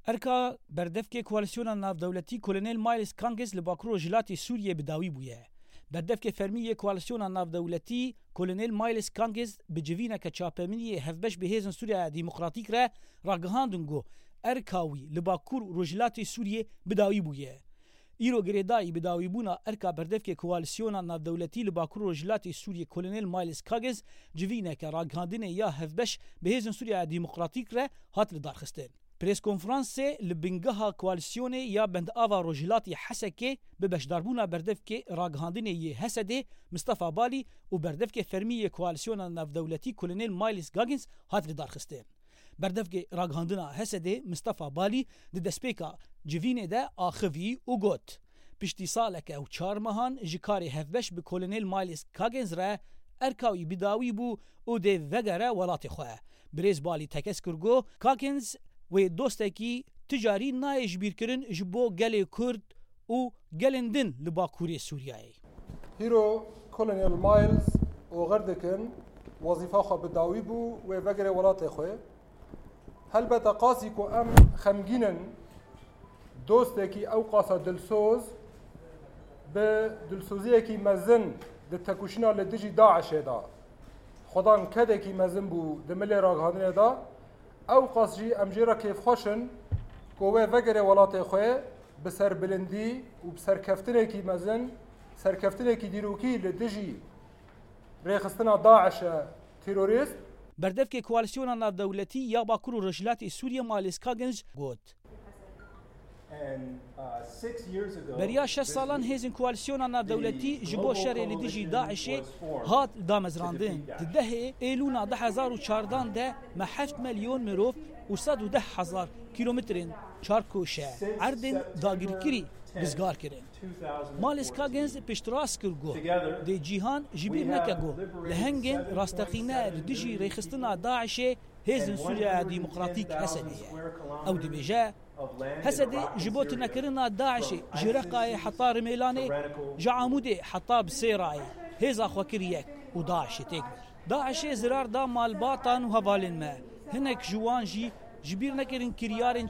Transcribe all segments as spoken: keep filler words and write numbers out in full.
Erka berdevkê koalîsyona navdewletî Kolonel Miles Kangiz li Bakur Rojhilatê Sûriyê bi dawî bûye. Berdevkê fermî yê koalîsyona navdewletî Kolonel Miles Kangiz bi civîneke çapemeniyê hevbeş bi Hêzên Sûriya Demokratîk re ragihandin ku erka wî li Bakur Rojhilatê Sûriyê bi dawî bûye. Îro girêdayî bi dawîbûna erka berdevkê koalîsyona navdewletî li Bakur Rojhilatê Sûriyê Kolonel Miles Kangiz civîneke ragihandinê ya hevbeş bi Hêzên Sûriya Demokratîk re hat lidarxistin. Preskonferansê li bingeha koalîsyonê ya bendava Rojhilatê Hesekê bi beşdarbûna berdevkê ragihandinê yê Hesedê Mistefa Balî û berdevkê fermî yê koalîsyona navdewletî Kolonel Miles Goggins hat lidarxistin. Berdevkê ragihandina Hesedê Mistefa Balî di destpêka civînê de axivî û got, Piştî saleke û çar mehan ji karê hevbeş bi Kolonel Miles Goggins re erka wî bi dawî bû û dê vegere welatê xwe. Birêz Balî tekez kir ku Goggins wê dostekî ticarî nayê ji bîrkirin ji bo gelê Kurd û gelên din li Bakurê Sûriyeyê. Hîro Kolonel Miles oxir dikin wezîfa xwe bi dawî bû wê vegere welatê xwe. Helbete qasî ku em xemgîn in, dostekî ew qasa dilsoz bi dilsoziyekî mezin di tekoşîna li dijî DAIŞê de xwedan kedekî mezin bû di milê ragihandinê de, ew qas jî em jê re kêfxweş in ku wê vegere welatê xwe bi serbilindî û bi serkeftinekî mezin, serkeftinekî dîrokî li dijî rêxistina DAIŞ e terorîst. Berdevkê Koalîsyona Navdewletî ya Bakur û Rojhilatê Sûriyê Miles Goggins got, Beriya şeş salan hêzên Koalîsyona Navdewletî ji bo şerê li dijî DAIŞê hat damezrandin. Di dehê Êlûna du hezar û çardan de me heft milyon mirov û sed û deh hezar kîlometrên çarkoşe erdên dagirkirî rizgar kirin. Miles Goggins piştrast kir ku dê cîhan ji bîr neke ku lehengên rasteqîne li dijî rêxistina DAIŞê Hêzên Sûriya Demokratîk Hesedê ye. Ew dibêje, Hesedê ji bo tunekirina DAIŞê ji Reqayê heta Rimêlanê, ji Amûdê heta Bisêrayê hêza xwe kir yek û DAIŞê têk bir. DAIŞê zirar da malbatan û hevalên me. Hinek ji wan jî ji bîr nekirin kiryarên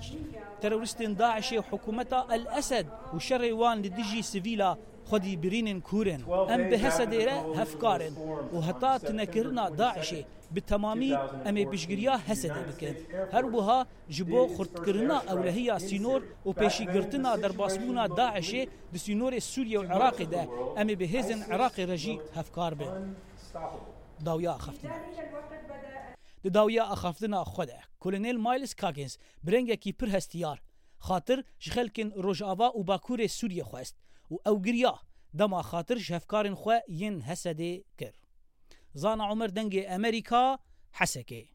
terorîstên DAIŞê û hikûmeta El Esed û şerê wan li dijî sivîla xwedî birînên kûr in. Em bi Hesedê re hevkar in û heta tunekirina DAIŞê bi temamî em ê piştgiriya Hesedê bikin. Her wiha ji bo xurtkirina ewlehiya sînor û pêşîgirtina derbasbûna DAIŞê di sînorê Sûriye û Iraqê de em ê bi hêzên Iraqê re jî hevkar bin. Dawiya axaftina. Di dawiya axaftina xwe de, Kolonel Miles Coggins bi rengekî pir hestiyar xatir ji xelkên Rojava û Bakurê Sûriyê xwest û ew giriya dema xatir ji hevkarên xwe yên Hesedê kir. Zana Omer, Dengê Amerîka, Hesekê.